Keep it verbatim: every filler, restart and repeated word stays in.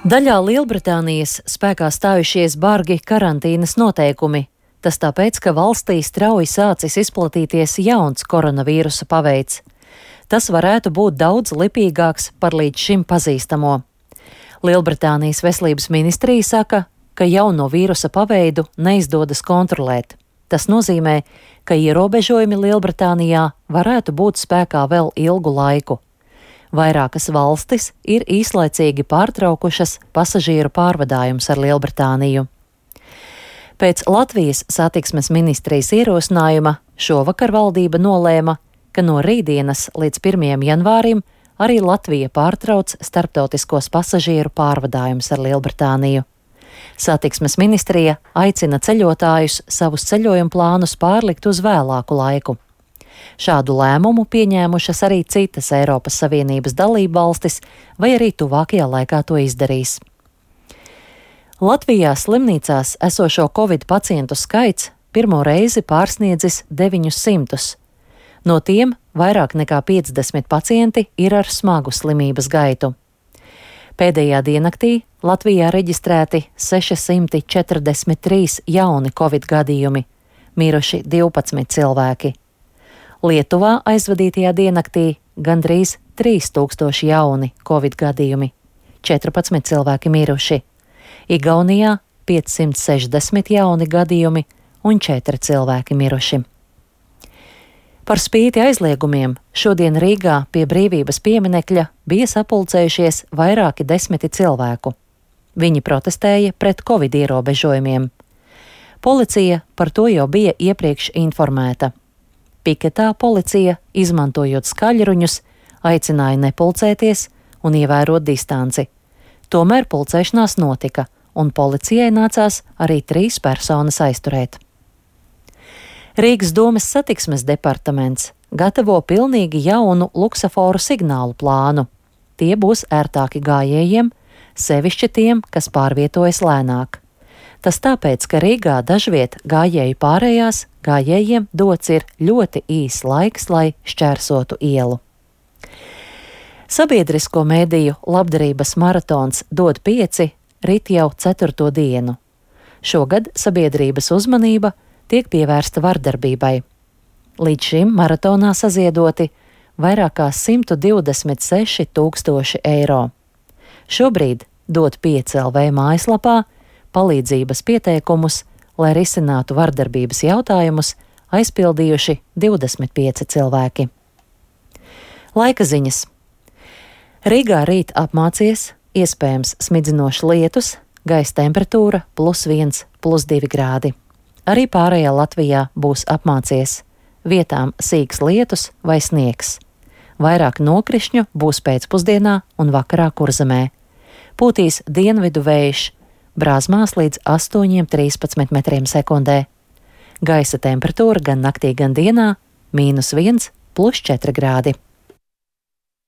Daļā Lielbritānijas spēkā stājušies bargi karantīnas noteikumi. Tas tāpēc, ka valstī strauji sācis izplatīties jauns koronavīrusa paveids. Tas varētu būt daudz lipīgāks par līdz šim pazīstamo. Lielbritānijas veselības ministrija saka, ka jauno vīrusa paveidu neizdodas kontrolēt. Tas nozīmē, ka ierobežojumi Lielbritānijā varētu būt spēkā vēl ilgu laiku. Vairākas valstis ir īslaicīgi pārtraukušas pasažieru pārvadājumus ar Lielbritāniju. Pēc Latvijas satiksmes ministrijas ierosinājuma šovakar valdība nolēma, ka no rītdienas līdz pirmajam janvārim arī Latvija pārtrauc starptautiskos pasažieru pārvadājumus ar Lielbritāniju. Satiksmes ministrija aicina ceļotājus savus ceļojumu plānus pārlikt uz vēlāku laiku. Šādu lēmumu pieņēmušas arī citas Eiropas Savienības dalība valstis, vai arī tuvākajā laikā to izdarīs. Latvijā slimnīcās esošo covid pacientu skaits pirmo reizi pārsniedzis deviņus simtus. No tiem vairāk nekā piecdesmit pacienti ir ar smagu slimības gaitu. Pēdējā diennaktī Latvijā reģistrēti sešsimti četrdesmit trīs jauni covid gadījumi, miruši divpadsmit cilvēki. Lietuvā aizvadītajā diennaktī gandrīz trīs tūkstoši jauni covid gadījumi, četrpadsmit cilvēki miruši. Igaunijā piecsimt sešdesmit jauni gadījumi un četri cilvēki miruši. Par spīti aizliegumiem šodien Rīgā pie Brīvības pieminekļa bija sapulcējušies vairāki desmiti cilvēku. Viņi protestēja pret covid ierobežojumiem. Policija par to jau bija iepriekš informēta. Piketā policija, izmantojot skaļruņus, aicināja nepulcēties un ievērot distanci. Tomēr pulcēšanās notika, un policijai nācās arī trīs personas aizturēt. Rīgas domes satiksmes departaments gatavo pilnīgi jaunu luksaforu signālu plānu. Tie būs ērtāki gājējiem, sevišķi tiem, kas pārvietojas lēnāk. Tas tāpēc, ka Rīgā dažviet gājēju pārējās gājējiem dots ir ļoti īs laiks, lai šķērsotu ielu. Sabiedrisko mediju labdarības maratons Dod pieci rit jau ceturto dienu. Šogad sabiedrības uzmanība tiek pievērsta vardarbībai. Līdz šim maratonā saziedoti vairāk kā simt divdesmit seši tūkstoši eiro. Šobrīd Dod pieci L V mājaslapā palīdzības pieteikumus, lai risinātu vardarbības jautājumus, aizpildījuši divdesmit pieci cilvēki. Laika ziņas. Rīgā rīt apmācies, iespējams smidzinošs lietus, gaisa temperatūra plus viens, plus divi grādi. Arī pārējā Latvijā būs apmācies, vietām sīks lietus vai sniegs. Vairāk nokrišņu būs pēcpusdienā un vakarā Kurzemē. Pūtīs dienvidu vējš, brāzmās līdz astoņiem trīspadsmit metriem sekundē. Gaisa temperatūra gan naktī, gan dienā mīnus viens, plus četri grādi.